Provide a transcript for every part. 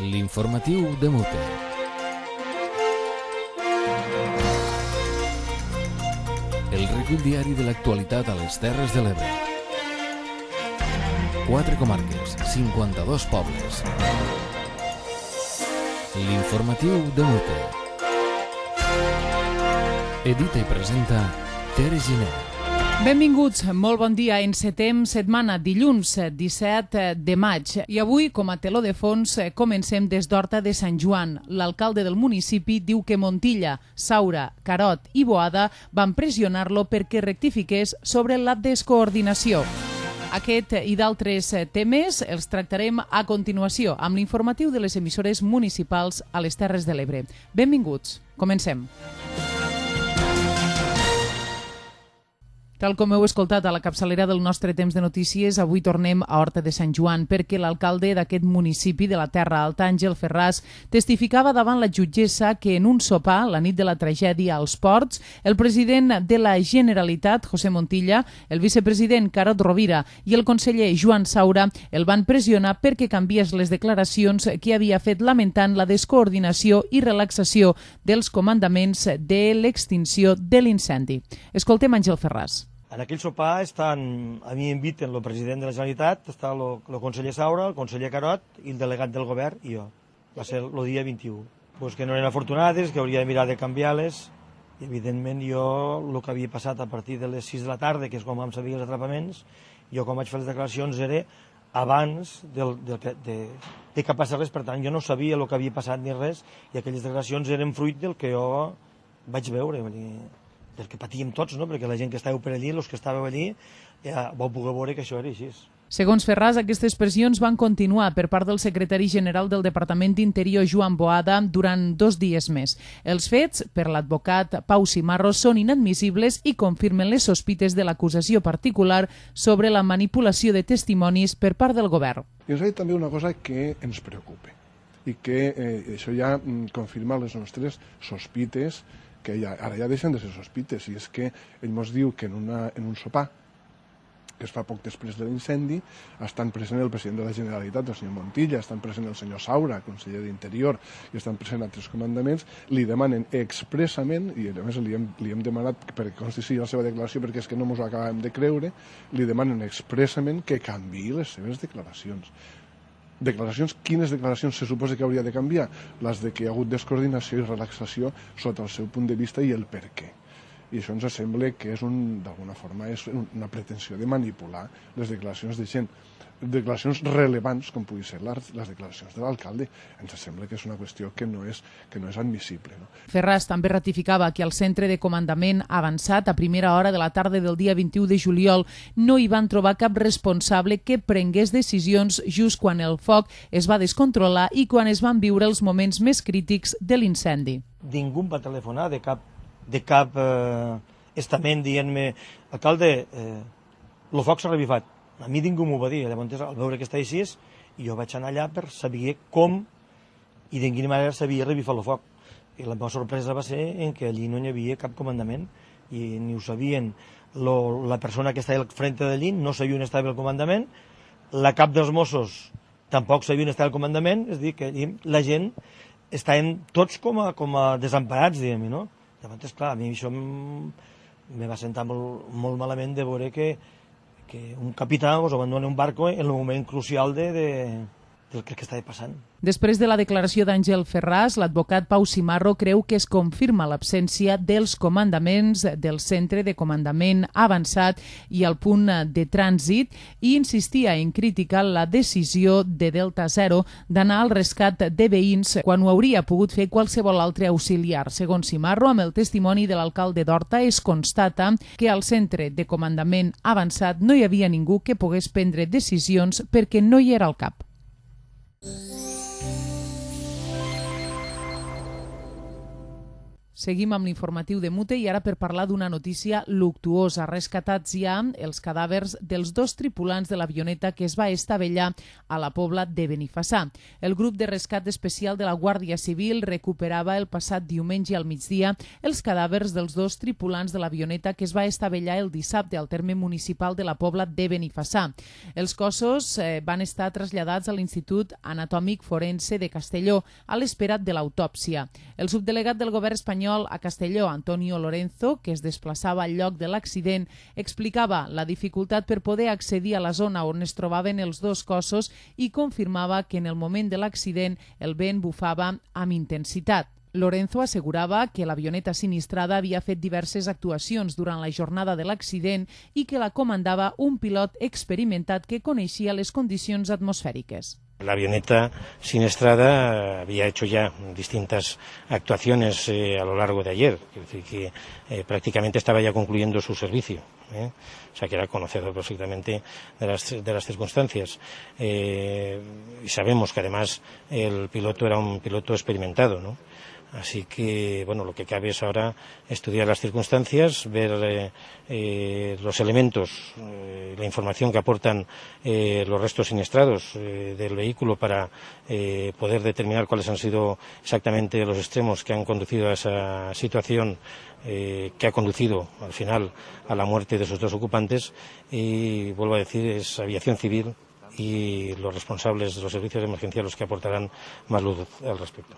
L'informatiu de Mute. El recull diari de l'actualitat a les Terres de l'Ebre. 4 comarques, 52 pobles. L'informatiu de Mute. Edita i presenta Tere Giner. Benvinguts, molt bon dia. Encetem setmana, dilluns 17 de maig. I avui, com a teló de fons, comencem des d'Horta de Sant Joan. L'alcalde del municipi diu que Montilla, Saura, Carot i Boada van pressionar-lo perquè rectifiqués sobre la descoordinació. Aquest i d'altres temes els tractarem a continuació amb l'informatiu de les emissores municipals a les Terres de l'Ebre. Benvinguts, comencem. Tal com heu escoltat a la capçalera del nostre temps de notícies, avui tornem a Horta de Sant Joan perquè l'alcalde d'aquest municipi de la Terra Alta, Àngel Ferràs, testificava davant la jutgessa que en un sopar, la nit de la tragèdia als Ports, el president de la Generalitat, José Montilla, el vicepresident Carot Rovira i el conseller Joan Saura el van pressionar perquè canviés les declaracions que havia fet lamentant la descoordinació i relaxació dels comandaments de l'extinció de l'incendi. Escoltem Àngel Ferràs. En aquell sopar a mi inviten el president de la Generalitat, està el conseller Saura, el conseller Carot i el delegat del govern i jo. Va ser el dia 21. Pues que no eren afortunades, que hauria de mirar de canviar-les. I evidentment jo, el que havia passat a partir de les 6 de la tarda, que és quan vam saber els atrapaments, jo quan vaig fer les declaracions era abans de que passés res, per tant jo no sabia el que havia passat ni res, i aquelles declaracions eren fruit del que jo vaig veure, del que patíem tots, no? Perquè la gent que estàveu per allí, els que estàveu allí, ja vau poder veure que això era així. Segons Ferràs, aquestes pressions van continuar per part del secretari general del Departament d'Interior, Joan Boada, durant 2 dies més. Els fets, per l'advocat Pau Cimarro, són inadmissibles i confirmen les sospites de l'acusació particular sobre la manipulació de testimonis per part del govern. I ens ha dit també una cosa que ens preocupa i que això ja confirma les nostres sospites, que ara ja deixen de ser sospites, i és que ell ens diu que en un sopar que es fa poc després de l'incendi estan present el president de la Generalitat, el senyor Montilla, estan present el senyor Saura, conseller d'Interior, i estan present altres comandaments, li demanen expressament, i a més li hem demanat perquè consti la seva declaració perquè és que no ens ho acabem de creure, li demanen expressament que canviï les seves declaracions. Quines declaracions se suposa que hauria de canviar? Les de que hi ha hagut descoordinació i relaxació sota el seu punt de vista i el per què. I això ens sembla que d'alguna forma és una pretensió de manipular les declaracions de gent, declaracions rellevants com pugui ser les declaracions de l'alcalde. Ens sembla que és una qüestió que no és admissible. No? Ferràs també ratificava que al centre de comandament avançat a primera hora de la tarda del dia 21 de juliol no hi van trobar cap responsable que prengués decisions just quan el foc es va descontrolar i quan es van viure els moments més crítics de l'incendi. Ningú va telefonar de cap estament dient-me alcalde, el foc s'ha revifat. A mi ningú m'ho va dir. Llavors, al veure que està així, jo vaig anar allà per saber com i de quina manera s'havia revifat el foc. I la meva sorpresa va ser en que allí no hi havia cap comandament i ni ho sabien. La persona que estava al frente d'allí no sabia on estava el comandament, la cap dels Mossos tampoc sabia on estava el comandament, és a dir, que allí la gent estaven tots com a desemparats, diguem-ne, no? Llavors, clar, a mi això me va sentar molt malament de veure que un capità us abandona un barco en el moment crucial del que estava passant. Després de la declaració d'Àngel Ferràs, l'advocat Pau Cimarro creu que es confirma l'absència dels comandaments del centre de comandament avançat i el punt de trànsit i insistia en criticar la decisió de Delta Zero d'anar al rescat de veïns quan ho hauria pogut fer qualsevol altre auxiliar. Segons Cimarro, amb el testimoni de l'alcalde d'Horta es constata que al centre de comandament avançat no hi havia ningú que pogués prendre decisions perquè no hi era al cap. Seguim amb l'informatiu de Mute i ara per parlar d'una notícia luctuosa. Rescatats ja els cadàvers dels 2 tripulants de l'avioneta que es va estavellar a la Pobla de Benifassà. El grup de rescat especial de la Guàrdia Civil recuperava el passat diumenge al migdia els cadàvers dels 2 tripulants de l'avioneta que es va estavellar el dissabte al terme municipal de la Pobla de Benifassà. Els cossos van estar traslladats a l'Institut Anatòmic Forense de Castelló a l'espera de l'autòpsia. El subdelegat del govern espanyol a Castelló, Antonio Lorenzo, que es desplaçava al lloc de l'accident, explicava la dificultat per poder accedir a la zona on es trobaven els 2 cossos i confirmava que en el moment de l'accident el vent bufava amb intensitat. Lorenzo assegurava que l'avioneta sinistrada havia fet diverses actuacions durant la jornada de l'accident i que la comandava un pilot experimentat que coneixia les condicions atmosfèriques. La avioneta siniestrada había hecho ya distintas actuaciones a lo largo de ayer, es decir, que prácticamente estaba ya concluyendo su servicio, o sea que era conocedor perfectamente de las circunstancias. Y sabemos que además el piloto era un piloto experimentado, ¿no? Así que, bueno, lo que cabe es ahora estudiar las circunstancias, ver los elementos, la información que aportan los restos siniestrados del vehículo para poder determinar cuáles han sido exactamente los extremos que han conducido a esa situación que ha conducido al final a la muerte de esos 2 ocupantes. Y vuelvo a decir, es aviación civil y los responsables de los servicios de emergencia los que aportarán más luz al respecto.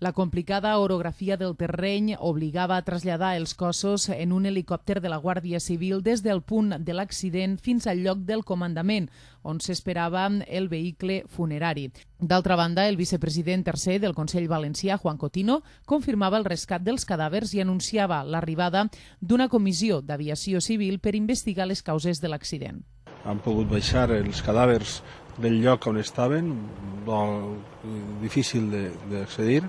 La complicada orografia del terreny obligava a traslladar els cossos en un helicòpter de la Guàrdia Civil des del punt de l'accident fins al lloc del comandament, on s'esperava el vehicle funerari. D'altra banda, el vicepresident tercer del Consell Valencià, Juan Cotino, confirmava el rescat dels cadàvers i anunciava l'arribada d'una comissió d'aviació civil per investigar les causes de l'accident. Han pogut baixar els cadàvers del lloc on estaven, difícil d'accedir,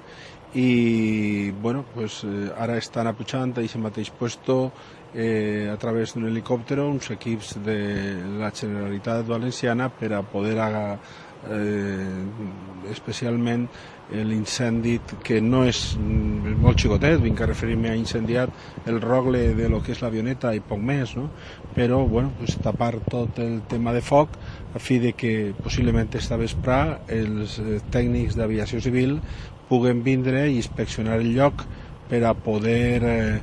i bueno, pues, ara estan apujant a aquest mateix puesto a través d'un helicòpter uns equips de la Generalitat Valenciana per a poder especialment l'incendi, que no és molt xicotet, vinc a referir-me a incendiat el rogle de lo que és l'avioneta i poc més, no? Però bueno, pues, tapar tot el tema de foc a fi de que possiblement esta vesprà els tècnics d'aviació civil puguen vindre i inspeccionar el lloc per a poder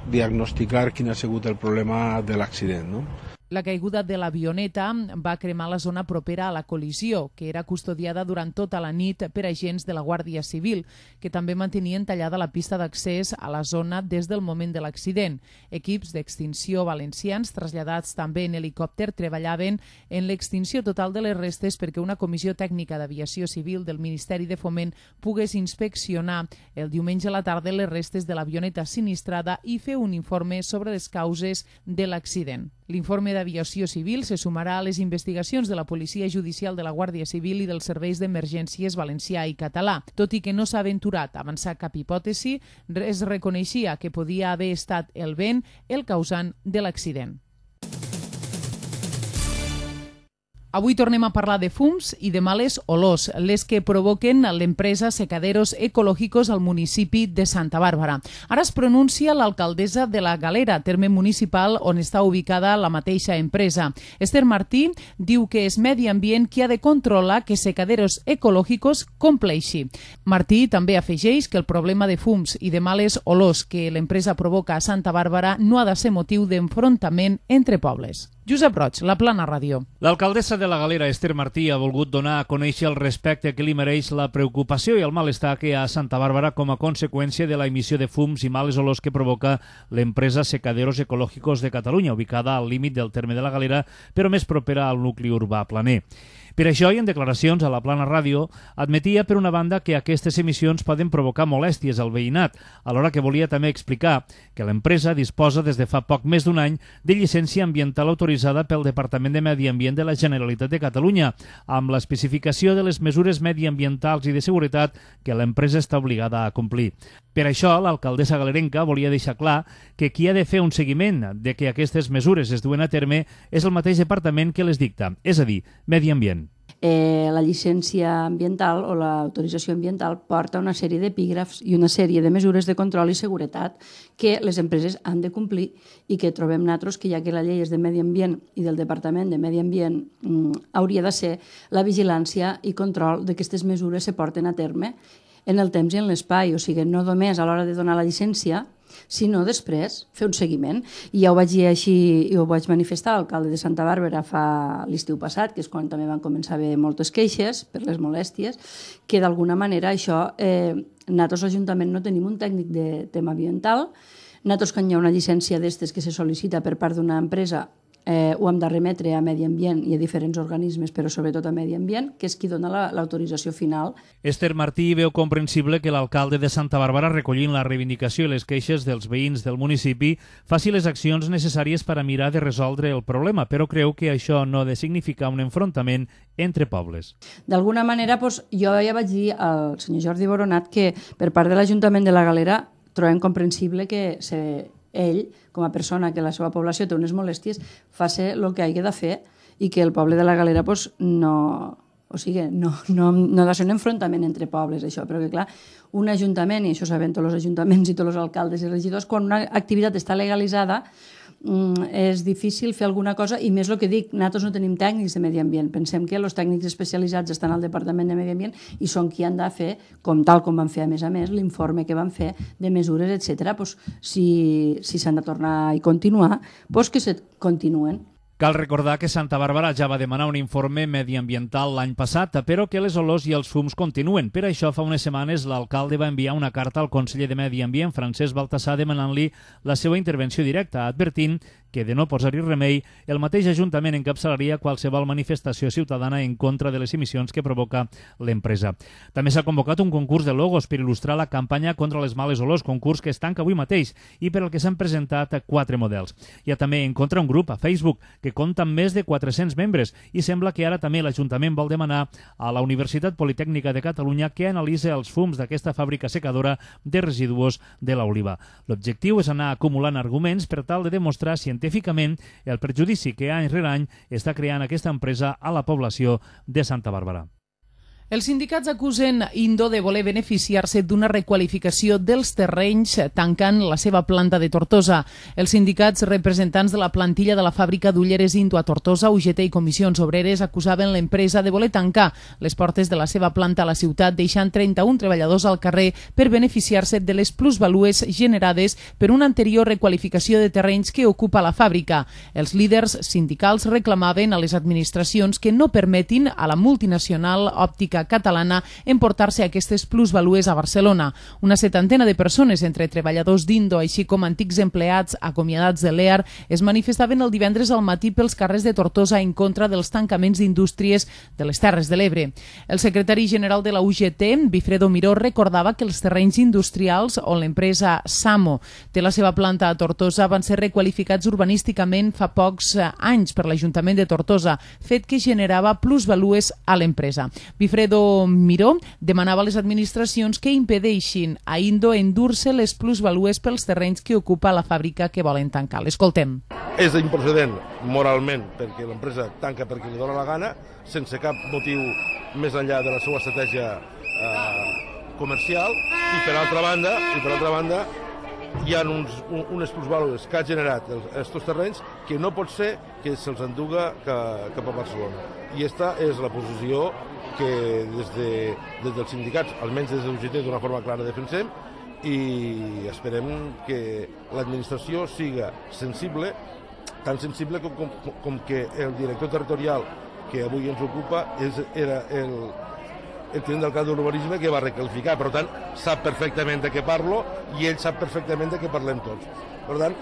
diagnosticar quin ha sigut el problema de l'accident, no? La caiguda de l'avioneta va cremar la zona propera a la col·lisió, que era custodiada durant tota la nit per agents de la Guàrdia Civil, que també mantenien tallada la pista d'accés a la zona des del moment de l'accident. Equips d'extinció valencians, traslladats també en helicòpter, treballaven en l'extinció total de les restes perquè una comissió tècnica d'aviació civil del Ministeri de Foment pogués inspeccionar el diumenge a la tarda les restes de l'avioneta sinistrada i fer un informe sobre les causes de l'accident. L'informe d'aviació civil se sumarà a les investigacions de la Policia Judicial de la Guàrdia Civil i dels serveis d'emergències valencià i català. Tot i que no s'ha aventurat a avançar cap hipòtesi, es reconeixia que podia haver estat el vent el causant de l'accident. Avui tornem a parlar de fums i de males olors, les que provoquen l'empresa Secaderos Ecológicos al municipi de Santa Bàrbara. Ara es pronuncia l'alcaldessa de la Galera, terme municipal on està ubicada la mateixa empresa. Esther Martí diu que és Medi Ambient qui ha de controlar que Secaderos Ecológicos compleixi. Martí també afegeix que el problema de fums i de males olors que l'empresa provoca a Santa Bàrbara no ha de ser motiu d'enfrontament entre pobles. Josep Roig, La Plana Ràdio. L'alcaldessa de la Galera, Esther Martí, ha volgut donar a conèixer el respecte que li mereix la preocupació i el malestar que hi ha a Santa Bàrbara com a conseqüència de la emissió de fums i males olors que provoca l'empresa Secaderos Ecológicos de Catalunya, ubicada al límit del terme de la Galera, però més propera al nucli urbà planer. Per això, i en declaracions a La Plana Ràdio, admetia, per una banda, que aquestes emissions poden provocar molèsties al veïnat, alhora que volia també explicar que l'empresa disposa des de fa poc més d'un any de llicència ambiental autoritzada pel Departament de Medi Ambient de la Generalitat de Catalunya, amb l'especificació de les mesures mediambientals i de seguretat que l'empresa està obligada a complir. Per això, l'alcaldessa galerenca volia deixar clar que qui ha de fer un seguiment de que aquestes mesures es duen a terme és el mateix departament que les dicta, és a dir, Medi Ambient. La llicència ambiental o l'autorització ambiental porta una sèrie d'epígrafs i una sèrie de mesures de control i seguretat que les empreses han de complir i que trobem nosaltres que ja que la llei és de Medi Ambient i del Departament de Medi Ambient hauria de ser la vigilància i control d'aquestes mesures se porten a terme en el temps i en l'espai, o sigui, no només a l'hora de donar la llicència, sinó després fer un seguiment. I ja ho vaig dir així i ho vaig manifestar a l'alcalde de Santa Bàrbara fa l'estiu passat, que és quan també van començar a haver moltes queixes per les molèsties, que d'alguna manera això, nosaltres l'Ajuntament no tenim un tècnic de tema ambiental, nosaltres quan hi ha una llicència d'estes que se sol·licita per part d'una empresa ho hem de remetre a Medi Ambient i a diferents organismes, però sobretot a Medi Ambient, que és qui dona l'autorització final. Esther Martí veu comprensible que l'alcalde de Santa Bàrbara, recollint la reivindicació i les queixes dels veïns del municipi, faci les accions necessàries per a mirar de resoldre el problema, però creu que això no ha de significar un enfrontament entre pobles. D'alguna manera, jo ja vaig dir al senyor Jordi Boronat que per part de l'Ajuntament de la Galera trobem comprensible que ell, com a persona que la seva població té unes molèsties, faci el que hagi de fer i que el poble de la Galera no ha de ser un enfrontament entre pobles, això, però que clar, un ajuntament, i això saben tots els ajuntaments i tots els alcaldes i regidors, quan una activitat està legalitzada és difícil fer alguna cosa, i més el que dic, nosaltres no tenim tècnics de medi ambient, pensem que els tècnics especialitzats estan al Departament de Medi Ambient i són qui han de fer, tal com van fer a més, l'informe que van fer de mesures, etc. Si s'han de tornar i continuar, que se continuen. Cal recordar que Santa Bàrbara ja va demanar un informe mediambiental l'any passat, però que les olors i els fums continuen. Per això, fa unes setmanes, l'alcalde va enviar una carta al conseller de Medi Ambient, Francesc Baltasar, demanant-li la seva intervenció directa, advertint que, de no posar-hi remei, el mateix Ajuntament encapçalaria qualsevol manifestació ciutadana en contra de les emissions que provoca l'empresa. També s'ha convocat un concurs de logos per il·lustrar la campanya contra les males olors, concurs que es tanca avui mateix i per al que s'han presentat 4 models. Hi ha també en contra un grup a Facebook que compta amb més de 400 membres i sembla que ara també l'Ajuntament vol demanar a la Universitat Politècnica de Catalunya que analitzi els fums d'aquesta fàbrica secadora de residus de l'oliva. L'objectiu és anar acumulant arguments per tal de demostrar científicament el perjudici que any rere any està creant aquesta empresa a la població de Santa Bàrbara. Els sindicats acusen Indo de voler beneficiar-se d'una requalificació dels terrenys tancant la seva planta de Tortosa. Els sindicats representants de la plantilla de la fàbrica d'ulleres Indo a Tortosa, UGT i Comissions Obreres acusaven l'empresa de voler tancar les portes de la seva planta a la ciutat, deixant 31 treballadors al carrer per beneficiar-se de les plusvalues generades per una anterior requalificació de terrenys que ocupa la fàbrica. Els líders sindicals reclamaven a les administracions que no permetin a la multinacional òptica catalana emportar-se aquestes plusvalues a Barcelona. Una setantena de persones, entre treballadors d'Indo així com antics empleats acomiadats de l'EAR, es manifestaven el divendres al matí pels carrers de Tortosa en contra dels tancaments d'indústries de les Terres de l'Ebre. El secretari general de la UGT, Bifredo Miró, recordava que els terrenys industrials on l'empresa Samo té la seva planta a Tortosa van ser requalificats urbanísticament fa pocs anys per l'Ajuntament de Tortosa, fet que generava plusvalues a l'empresa. Bifredo Miró demanava a les administracions que impedeixin a Indo endur-se les plusvalues pels terrenys que ocupa la fàbrica que volen tancar. L'escoltem. És improcedent moralment perquè l'empresa tanca perquè li dóna la gana, sense cap motiu més enllà de la seva estratègia comercial, i per altra banda hi ha unes plusvalues que ha generat aquests terrenys que no pot ser que se'ls enduga cap a Barcelona. I aquesta és la posició que des dels sindicats, almenys des de l'UGT, d'una forma clara defensem, i esperem que l'administració siga sensible, tan sensible com que el director territorial que avui ens ocupa era el tinent d'alcalde d'urbanisme que va recalificar. Per tant, sap perfectament de què parlo i ell sap perfectament de què parlem tots. Per tant,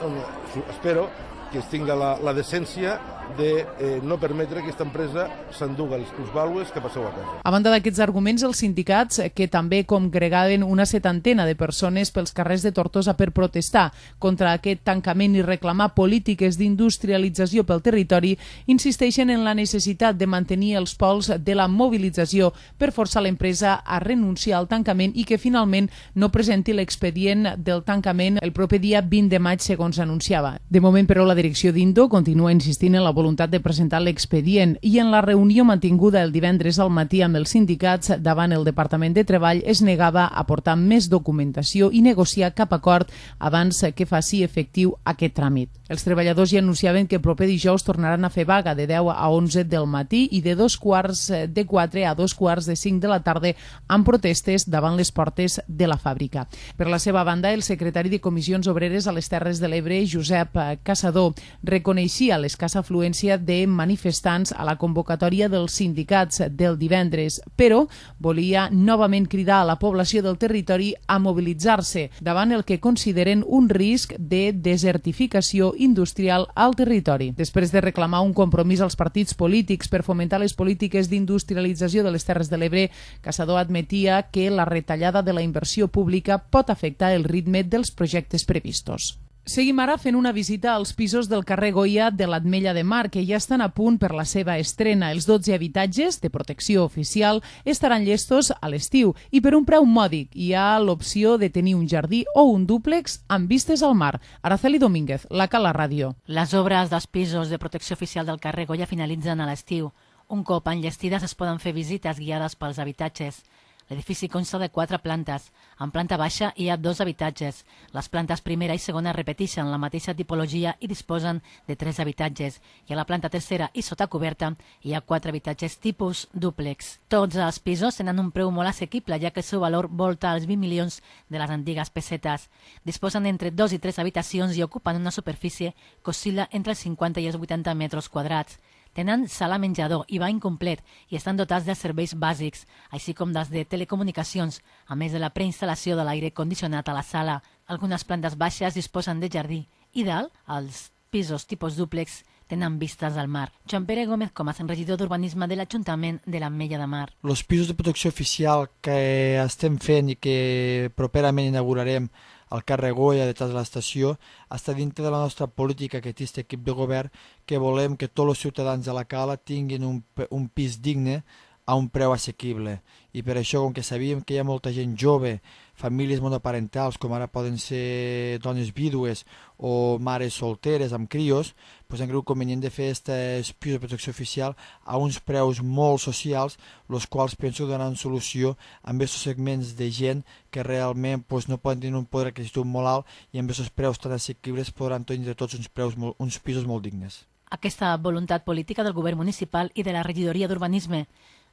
espero que es tinga la decència de no permetre que aquesta empresa s'enduga les plusvàlues que passeu a casa. A banda d'aquests arguments, els sindicats, que també congregaven una setantena de persones pels carrers de Tortosa per protestar contra aquest tancament i reclamar polítiques d'industrialització pel territori, insisteixen en la necessitat de mantenir els pols de la mobilització per forçar l'empresa a renunciar al tancament i que finalment no presenti l'expedient del tancament el proper dia 20 de maig, segons anunciava. De moment, però, la direcció d'Indo continua insistint en la voluntat de presentar l'expedient i en la reunió mantinguda el divendres al matí amb els sindicats davant el Departament de Treball es negava a portar més documentació i negociar cap acord abans que faci efectiu aquest tràmit. Els treballadors ja anunciaven que el proper dijous tornaran a fer vaga de 10 a 11 del matí i de 3:45 a 5:45 de la tarda amb protestes davant les portes de la fàbrica. Per la seva banda, el secretari de Comissions Obreres a les Terres de l'Ebre, Josep Caçador, reconeixia l'escassa afluència de manifestants a la convocatòria dels sindicats del divendres, però volia novament cridar a la població del territori a mobilitzar-se davant el que consideren un risc de desertificació industrial al territori. Després de reclamar un compromís als partits polítics per fomentar les polítiques d'industrialització de les Terres de l'Ebre, Caçador admetia que la retallada de la inversió pública pot afectar el ritme dels projectes previstos. Seguim ara fent una visita als pisos del carrer Goya de l'Ametlla de Mar, que ja estan a punt per la seva estrena. Els 12 habitatges de protecció oficial estaran llestos a l'estiu i per un preu mòdic. Hi ha l'opció de tenir un jardí o un dúplex amb vistes al mar. Araceli Domínguez, la Cala Ràdio. Les obres dels pisos de protecció oficial del carrer Goya finalitzen a l'estiu. Un cop enllestides es poden fer visites guiades pels habitatges. L'edifici consta de 4 plantes. En planta baixa hi ha 2 habitatges. Les plantes primera i segona repeteixen la mateixa tipologia i disposen de 3 habitatges. I a la planta tercera i sota coberta hi ha 4 habitatges tipus dúplex. Tots els pisos tenen un preu molt assequible, ja que el seu valor volta als 20 milions de les antigues pessetes. Disposen entre 2 i 3 habitacions i ocupen una superfície que oscil·la entre els 50 i els 80 metres quadrats. Tenen sala menjador i bany complet i estan dotats de serveis bàsics, així com dels de telecomunicacions, a més de la preinstal·lació de l'aire condicionat a la sala. Algunes plantes baixes disposen de jardí i dalt, els pisos tipus dúplex tenen vistes al mar. Joan Pere Gómez Comas, regidor d'Urbanisme de l'Ajuntament de l'Ametlla de Mar. Els pisos de protecció oficial que estem fent i que properament inaugurarem al carrer Goya detrás de l'estació està dintre de la nostra política que té aquest equip de govern, que volem que tots els ciutadans de la Cala tinguin un pis digne a un preu assequible. I per això, com que sabíem que hi ha molta gent jove, famílies monoparentals, com ara poden ser dones vídues o mares solteres amb crios, doncs hem cregut convenient de fer aquests pisos de protecció oficial a uns preus molt socials, els quals penso que donaran solució a aquests segments de gent que realment no poden tenir un poder adquisitiu molt alt i amb aquests preus tan assequibles podran tenir tots uns pisos molt dignes. Aquesta voluntat política del govern municipal i de la regidoria d'Urbanisme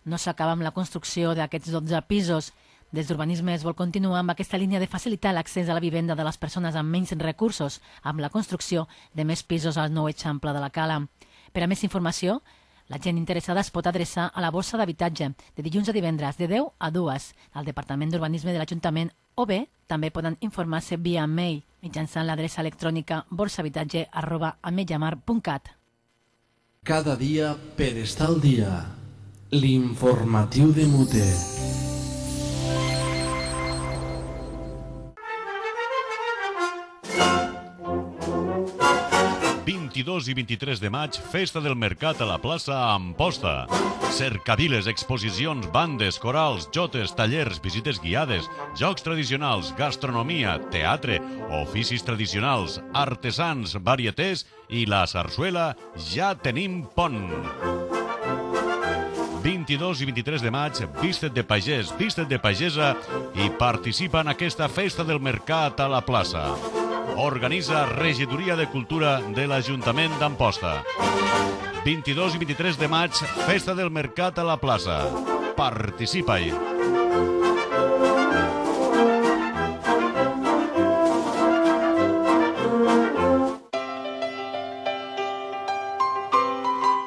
no s'acaba amb la construcció d'aquests 12 pisos. Des d'Urbanisme es vol continuar amb aquesta línia de facilitar l'accés a la vivenda de les persones amb menys recursos, amb la construcció de més pisos al nou eixample de la Cala. Per a més informació, la gent interessada es pot adreçar a la borsa d'habitatge de dilluns a divendres de 10 a 2 al Departament d'Urbanisme de l'Ajuntament o bé també poden informar-se via mail mitjançant l'adreça electrònica borsahabitatge@ametllamar.cat. Cada dia per estar al dia. L'informatiu de Muter. I 23 de maig, Festa del Mercat a la plaça Amposta. Cercaviles, exposicions, bandes, corals, jotes, tallers, visites guiades, jocs tradicionals, gastronomia, teatre, oficis tradicionals, artesans, varietés i la sarsuela Ja tenim pont. 22 i 23 de maig, viste't de pagès, viste't de pagesa i participa en aquesta Festa del Mercat a la plaça. Organitza Regidoria de Cultura de l'Ajuntament d'Amposta. 22 i 23 de maig, Festa del Mercat a la plaça. Participa-hi!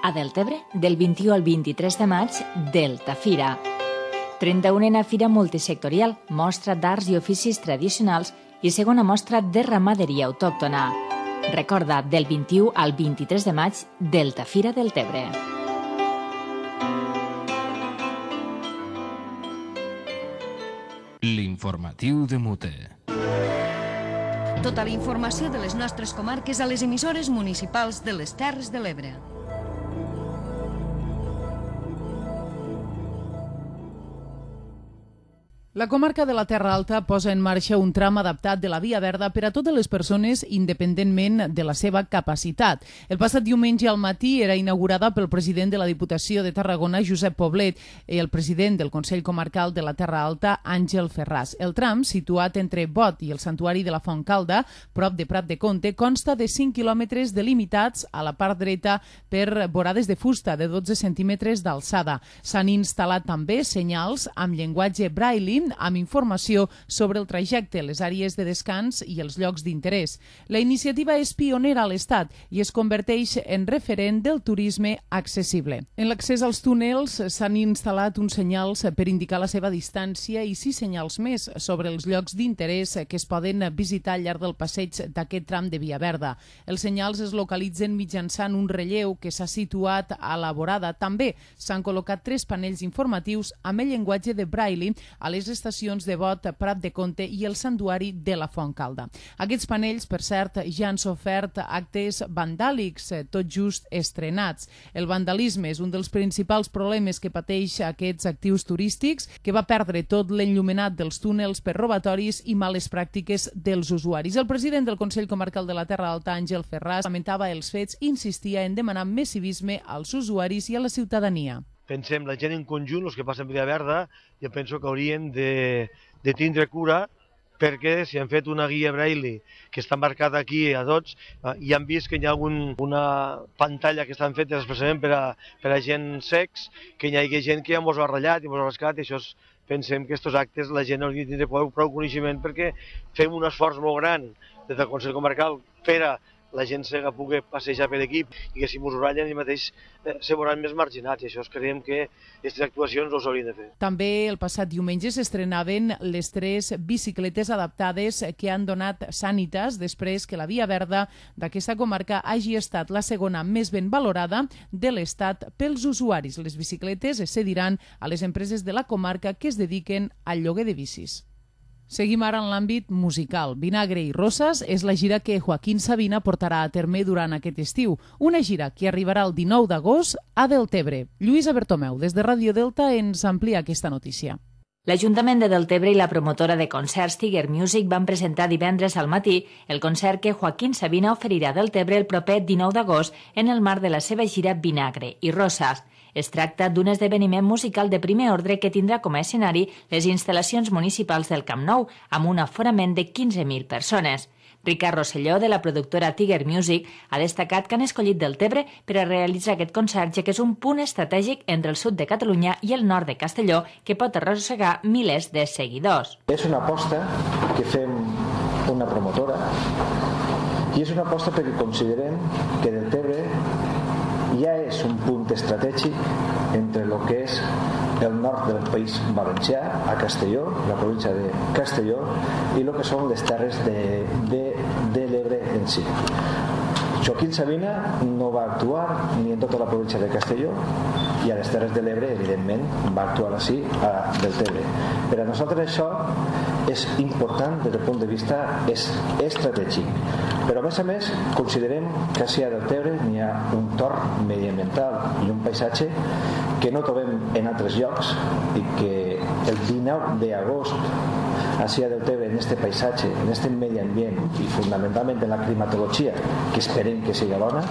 A Deltebre, del 21 al 23 de maig, Delta Fira. 31a Fira Multisectorial, mostra d'arts i oficis tradicionals i segona mostra de ramaderia autòctona. Recorda, del 21 al 23 de maig, Delta Fira Deltebre. L'informatiu de Muter. Tota la informació de les nostres comarques a les emissores municipals de les Terres de l'Ebre. La comarca de la Terra Alta posa en marxa un tram adaptat de la Via Verda per a totes les persones independentment de la seva capacitat. El passat diumenge al matí era inaugurada pel president de la Diputació de Tarragona, Josep Poblet, i el president del Consell Comarcal de la Terra Alta, Àngel Ferràs. El tram, situat entre Bot i el Santuari de la Fontcalda, prop de Prat de Comte, consta de 5 quilòmetres delimitats a la part dreta per vorades de fusta de 12 centímetres d'alçada. S'han instal·lat també senyals amb llenguatge braille amb informació sobre el trajecte, les àrees de descans i els llocs d'interès. La iniciativa és pionera a l'Estat i es converteix en referent del turisme accessible. En l'accés als túnels s'han instal·lat uns senyals per indicar la seva distància i 6 senyals més sobre els llocs d'interès que es poden visitar al llarg del passeig d'aquest tram de Via Verda. Els senyals es localitzen mitjançant un relleu que s'ha situat a la vorada. També s'han col·locat 3 panells informatius amb el llenguatge de braille a les estacions de Bot, Prat de Comte i el Santuari de la Fontcalda. Aquests panells, per cert, ja han sofert actes vandàlics, tot just estrenats. El vandalisme és un dels principals problemes que pateix aquests actius turístics, que va perdre tot l'enllumenat dels túnels per robatoris i males pràctiques dels usuaris. El president del Consell Comarcal de la Terra Alta, Àngel Ferràs, lamentava els fets i insistia en demanar més civisme als usuaris i a la ciutadania. Pensem, la gent en conjunt, els que passen per Via Verda, jo penso que haurien de tindre cura, perquè si han fet una guia braille que està marcada aquí a tots, i han vist que hi ha una pantalla que estan fetes expressament per a gent cecs, que hi hagi gent que ja mos ha ratllat i mos ha rascat, i això pensem que aquests actes la gent hauria de tindre prou coneixement, perquè fem un esforç molt gran des del Consell Comarcal per a la gent cega pugui passejar per aquí i que si mos ho ratllen, ells mateix se veuran més marginats, i això creiem que aquestes actuacions no s'haurien de fer. També el passat diumenge s'estrenaven les 3 bicicletes adaptades que han donat Sanitas després que la Via Verda d'aquesta comarca hagi estat la segona més ben valorada de l'Estat pels usuaris. Les bicicletes es cediran a les empreses de la comarca que es dediquen al lloguer de bicis. Seguim ara en l'àmbit musical. Vinagre i Roses és la gira que Joaquín Sabina portarà a terme durant aquest estiu. Una gira que arribarà el 19 d'agost a Deltebre. Lluïsa Bertomeu, des de Ràdio Delta, ens amplia aquesta notícia. L'Ajuntament de Deltebre i la promotora de concerts Tiger Music van presentar divendres al matí el concert que Joaquín Sabina oferirà a Deltebre el proper 19 d'agost en el marc de la seva gira Vinagre i Roses. Es tracta d'un esdeveniment musical de primer ordre que tindrà com a escenari les instal·lacions municipals del Camp Nou, amb un aforament de 15.000 persones. Ricard Rosselló, de la productora Tiger Music, ha destacat que han escollit Deltebre per a realitzar aquest concert, ja que és un punt estratègic entre el sud de Catalunya i el nord de Castelló, que pot arrossegar milers de seguidors. És una aposta que fem una promotora i és una aposta perquè considerem que Deltebre ja és un punt estratègic entre el que és el nord del País Valencià, a Castelló, la província de Castelló, i el que són les terres de l'Ebre en si. Joaquín Sabina no va actuar ni en tota la província de Castelló, i a les Terres de l'Ebre, evidentment, va actuar així a Deltebre. Per a nosaltres això és important des del punt de vista estratègic. Però, a més, considerem que així a Deltebre n'hi ha un torn mediambiental i un paisatge que no trobem en altres llocs i que el 19 d'agost així a Deltebre, en aquest paisatge, en aquest medi ambient i fonamentalment en la climatologia, que esperem que sigui bona,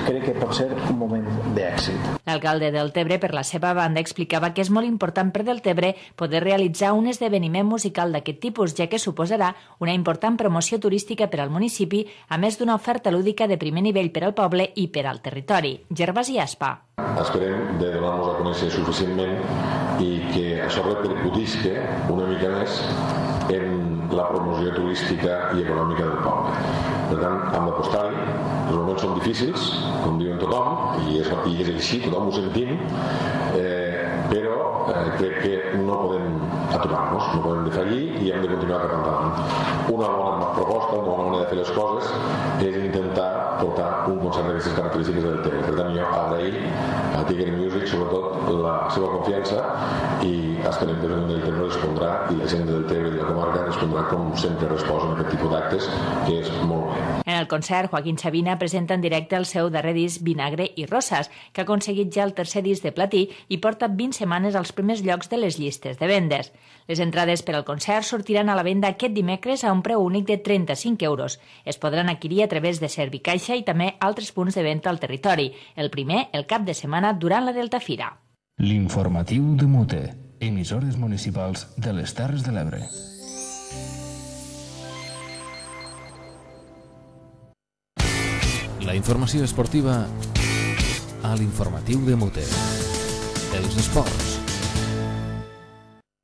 crec que pot ser un moment d'èxit. L'alcalde de Deltebre, per la seva banda, explicava que és molt important per Deltebre poder realitzar un esdeveniment musical d'aquest tipus, ja que suposarà una important promoció turística per al municipi, a més d'una oferta lúdica de primer nivell per al poble i per al territori. Gervasi Aspa. Esperem de donar-nos a conèixer suficientment i que això repercutisca una mica més en la promoció turística i econòmica del poble. Per tant, hem d'apostar-hi. Els moments són difícils, com diuen tothom, i és així, tothom ho sentim, però crec que no podem aturar-nos, no podem defallir i hem de continuar cap endavant. Una bona proposta, una bona manera de fer les coses és intentar portar un concert d'aquestes característiques del Deltebre. Per tant, jo agrair a Tiger Music sobretot la seva confiança i esperem que el Deltebre respondrà i la gent del Deltebre i la comarca respondrà com sempre resposa en aquest tipus d'actes, que és molt bé. En el concert, Joaquín Sabina presenta en directe el seu darrer disc Vinagre i Roses, que ha aconseguit ja el tercer disc de platí i porta 20 setmanes als primers llocs de les llistes de vendes. Les entrades per al concert sortiran a la venda aquest dimecres a un preu únic de 35 euros. Es podran adquirir a través de Servicaixa i també altres punts de venda al territori. El primer, el cap de setmana, durant la Delta Fira. L'informatiu de Mute, emissores municipals de les Terres de l'Ebre. La informació esportiva a l'informatiu de Mute. Els esports.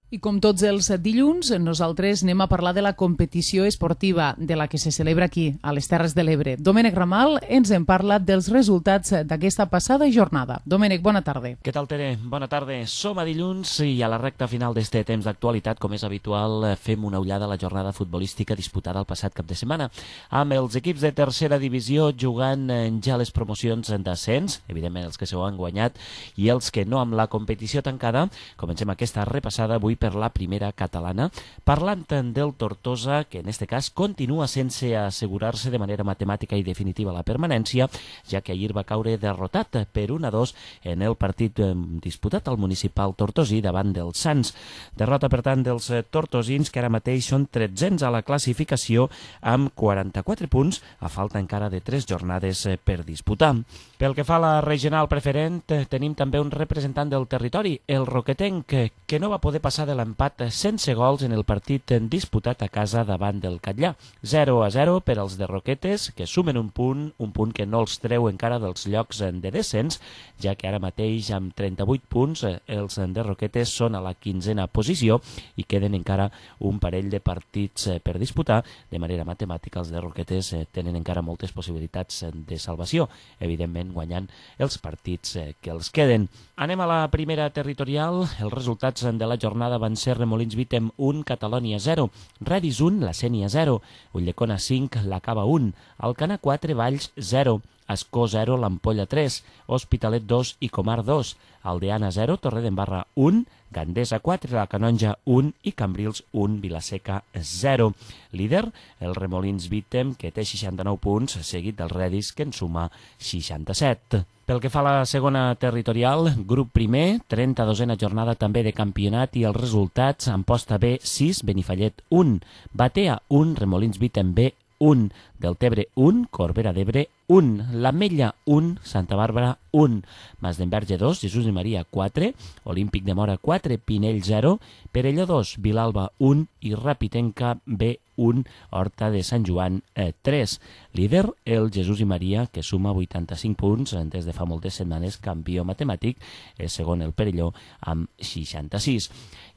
I com tots els dilluns, nosaltres anem a parlar de la competició esportiva de la que se celebra aquí, a les Terres de l'Ebre. Domènec Ramal ens en parla dels resultats d'aquesta passada jornada. Domènec, bona tarda. Què tal, Tere? Bona tarda. Som a dilluns i a la recta final d'este temps d'actualitat, com és habitual, fem una ullada a la jornada futbolística disputada el passat cap de setmana, amb els equips de tercera divisió jugant ja les promocions d'ascens, evidentment els que s'ho han guanyat, i els que no amb la competició tancada. Comencem aquesta repassada avui per la primera catalana, parlant del Tortosa, que en este cas continua sense assegurar-se de manera matemàtica i definitiva la permanència, ja que ahir va caure derrotat per 1-2 en el partit disputat al municipal tortosí davant dels Sants. Derrota, per tant, dels tortosins, que ara mateix són 13 a la classificació amb 44 punts, a falta encara de 3 jornades per disputar. Pel que fa a la regional preferent, tenim també un representant del territori, el Roquetenc, que no va poder passar de l'empat sense gols en el partit disputat a casa davant del Catllà. 0-0 per als de Roquetes, que sumen un punt que no els treu encara dels llocs de descens, ja que ara mateix amb 38 punts els de Roquetes són a la 15a posició i queden encara un parell de partits per disputar. De manera matemàtica, els de Roquetes tenen encara moltes possibilitats de salvació, evidentment guanyant els partits que els queden. Anem a la primera territorial. Els resultats de la jornada van ser Remolins Vítem 1, Catalònia 0, Redis 1, La Sénia 0, Ulldecona 5, La Cava 1, Alcanar 4, Valls 0, Ascó 0, l'Ampolla 3, Hospitalet 2 i Comar 2, Aldeana 0, Torredembarra 1, Gandesa 4, La Canonja 1 i Cambrils 1, Vilaseca 0. Líder, el Remolins Vítem, que té 69 punts, seguit del Redis, que en suma 67. Pel que fa a la segona territorial, grup primer, 32a jornada també de campionat i els resultats: Amposta B 6, Benifallet 1, Batea 1, Remolins Vítem B 1, Deltebre 1, Corbera d'Ebre 1, l'Ametlla 1, Santa Bàrbara 1, Masdenverge 2, Jesús i Maria 4, Olímpic de Mora 4, Pinell 0, Perelló 2, Vilalba 1 i Rapitenca B 1, Horta de Sant Joan 3. Líder, el Jesús i Maria, que suma 85 punts des de fa moltes setmanes, campió matemàtic, és segon el Perelló amb 66.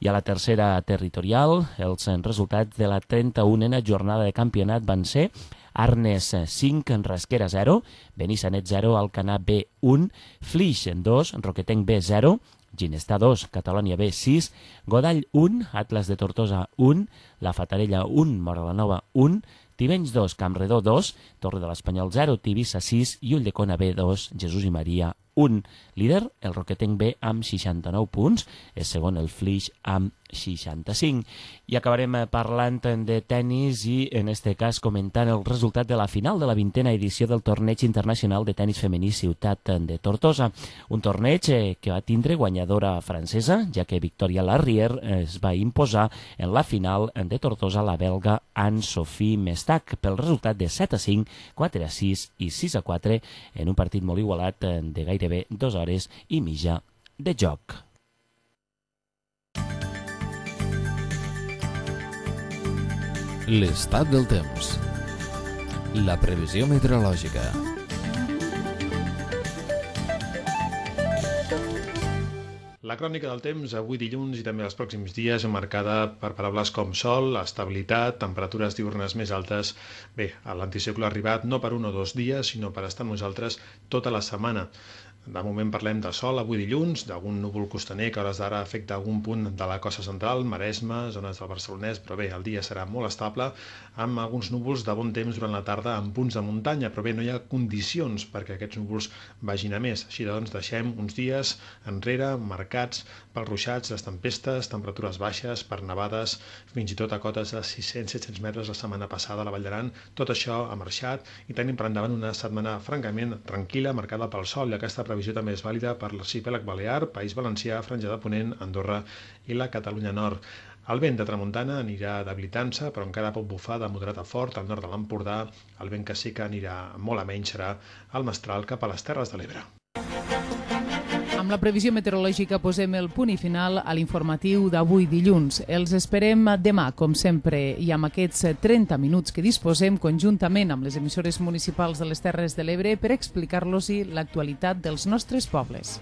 I a la tercera territorial, els resultats de la 31a jornada de campionat van ser Arnes 5, Rasquera 0, Benissanet 0, Alcanar B 1, Flix 2, Roquetenc B 0, Ginestà 2, Catalònia B 6, Godall 1, Atlas de Tortosa 1, La Fatarella 1, Móra la Nova 1, Tivenys 2, Campredó 2, Torre de l'Espanyol 0, Tivissa 6 i Ulldecona B 2, Jesús i Maria 1. Líder, el Roquetenc B amb 69 punts, és segon el Flix amb 65. I acabarem parlant de tennis i, en este cas, comentant el resultat de la final de la 20a edició del Torneig Internacional de Tenis Femení Ciutat de Tortosa. Un torneig que va tindre guanyadora francesa, ja que Victoria Larrier es va imposar en la final de Tortosa la belga Anne-Sophie Mestac pel resultat de 7-5, 4-6 i 6-4 en un partit molt igualat de gairebé 2 hores i mitja de joc. L'estat del temps. La previsió meteorològica. La crònica del temps avui dilluns i també els pròxims dies marcada per paraules com sol, estabilitat, temperatures diürnes més altes. Bé, l'anticicló ha arribat no per 1 o 2 dies, sinó per estar amb nosaltres tota la setmana. De moment parlem de sol avui dilluns, d'algun núvol costaner que a hores d'ara afecta algun punt de la costa central, Maresme, zones del Barcelonès, però bé, el dia serà molt estable, amb alguns núvols de bon temps durant la tarda en punts de muntanya, però bé, no hi ha condicions perquè aquests núvols vagin a més. Així doncs, deixem uns dies enrere marcats pels ruixats, les tempestes, temperatures baixes, per nevades, fins i tot a cotes de 600-700 metres la setmana passada a la Vall d'Aran. Tot això ha marxat i tenim per endavant una setmana francament tranquil·la, marcada pel sol, i aquesta previsió previsió també és vàlida per l'arxipèlag Balear, País Valencià, Franja de Ponent, Andorra i la Catalunya Nord. El vent de tramuntana anirà debilitant-se, però encara pot bufar de moderat a fort al nord de l'Empordà. El vent que sí que anirà molt a menys serà el mestral cap a les Terres de l'Ebre. Amb la previsió meteorològica posem el punt i final a l'informatiu d'avui dilluns. Els esperem demà, com sempre, i amb aquests 30 minuts que disposem conjuntament amb les emissores municipals de les Terres de l'Ebre per explicar-los l'actualitat dels nostres pobles.